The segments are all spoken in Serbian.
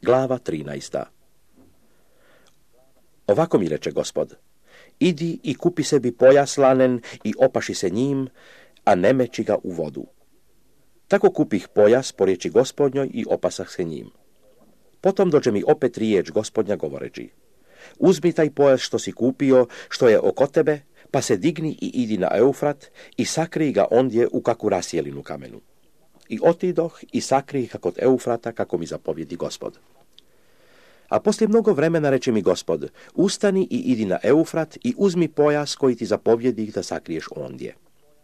Glava 13. Ovako mi reče Gospod: idi i kupi sebi pojas lanen i opaši se njim, a ne meći ga u vodu. Tako kupih pojas po riječi Gospodnjoj i opasah se njim. Potom dođe mi opet riječ Gospodnja govoreći: uzmi taj pojas što si kupio, što je oko tebe, pa se digni i idi na Eufrat i sakrij ga ondje u kaku rasjelinu kamenu. I otidoh i sakrij ga kod Eufrata, kako mi zapovjedi Gospod. A poslije mnogo vremena reče mi Gospod: ustani i idi na Eufrat i uzmi pojas koji ti zapovjedi da sakriješ ondje.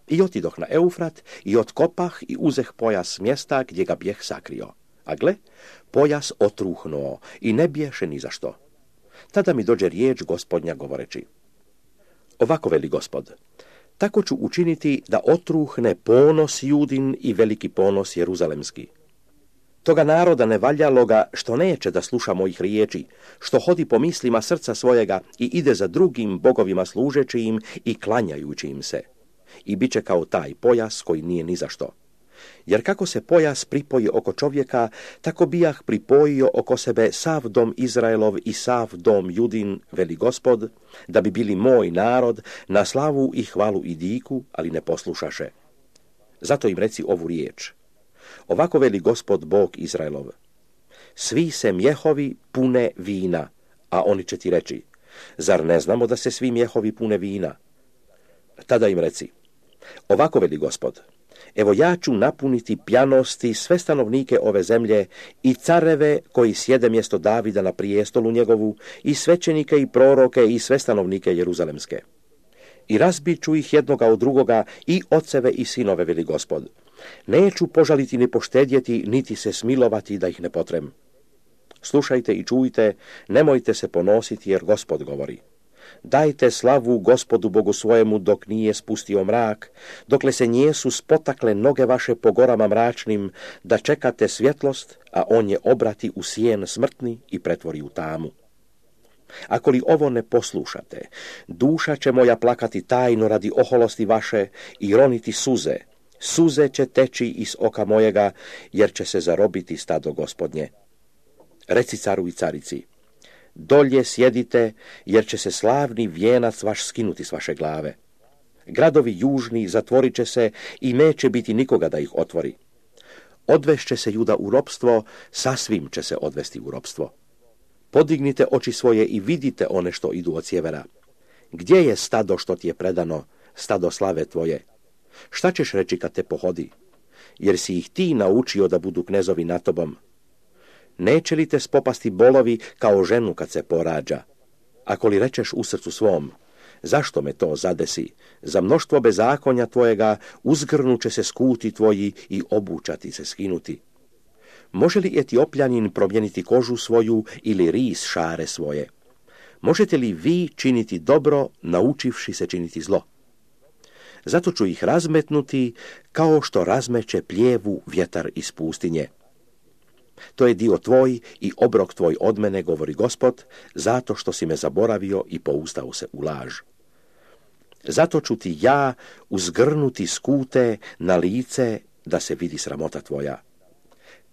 I otidoh na Eufrat i otkopah i uzeh pojas mjesta gdje ga bijeh sakrio. A gle, pojas otruhnuo i ne biješe ni za što. Tada mi dođe riječ Gospodnja govoreći: ovako veli Gospod: tako ću učiniti da otruhne ponos Judin i veliki ponos Jeruzalemski. Toga naroda nevaljaloga, što neće da sluša mojih riječi, što hodi po mislima srca svojega i ide za drugim bogovima služeći im i klanjajući im se. I bit će kao taj pojas koji nije ni za što. Jer kako se pojas pripoji oko čovjeka, tako bijah pripojio oko sebe sav dom Izraelov i sav dom Judin, veli Gospod, da bi bili moj narod, na slavu i hvalu i diku, ali ne poslušaše. Zato im reci ovu riječ: ovako veli Gospod Bog Izraelov: svi se mjehovi pune vina, a oni će ti reći: zar ne znamo da se svi mjehovi pune vina? Tada im reci: ovako veli Gospod: evo ja ću napuniti pjanosti sve stanovnike ove zemlje i careve koji sjede mjesto Davida na prijestolu njegovu, i svećenike i proroke i sve stanovnike Jeruzalemske. I razbit ću ih jednoga od drugoga, i oceve i sinove, veli Gospod. Neću požaliti ni poštedjeti, niti se smilovati da ih ne potrem. Slušajte i čujte, nemojte se ponositi, jer Gospod govori: dajte slavu Gospodu Bogu svojemu dok nije spustio mrak, dokle se nijesu spotakle noge vaše po gorama mračnim, da čekate svjetlost, a on je obrati u sjen smrtni i pretvori u tamu. Ako li ovo ne poslušate, duša će moja plakati tajno radi oholosti vaše i roniti suze. Suze će teći iz oka mojega, jer će se zarobiti stado Gospodnje. Reci caru i carici: dolje sjedite, jer će se slavni vijenac vaš skinuti s vaše glave. Gradovi južni zatvorit će se i neće biti nikoga da ih otvori. Odvešće se Juda u ropstvo, sasvim će se odvesti u ropstvo. Podignite oči svoje i vidite one što idu od sjevera. Gdje je stado što ti je predano, stado slave tvoje? Šta ćeš reći kad te pohodi? Jer si ih ti naučio da budu knezovi nad tobom. Neće li te spopasti bolovi kao ženu kad se porađa? Ako li rečeš u srcu svom: zašto me to zadesi? Za mnoštvo bezakonja tvojega uzgrnuće se skuti tvoji i obučati se skinuti. Može li Etiopljanin promijeniti kožu svoju ili ris šare svoje? Možete li vi činiti dobro, naučivši se činiti zlo? Zato ću ih razmetnuti kao što razmeće pljevu vjetar iz pustinje. To je dio tvoj i obrok tvoj od mene, govori Gospod, zato što si me zaboravio i poustao se u laž. Zato ću ti ja uzgrnuti skute na lice, da se vidi sramota tvoja.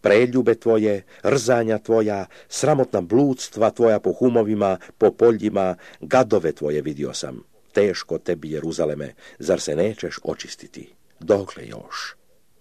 Preljube tvoje, rzanja tvoja, sramotna bludstva tvoja po humovima, po poljima, gadove tvoje vidio sam. Teško tebi, Jeruzaleme, zar se nećeš očistiti? Dokle još?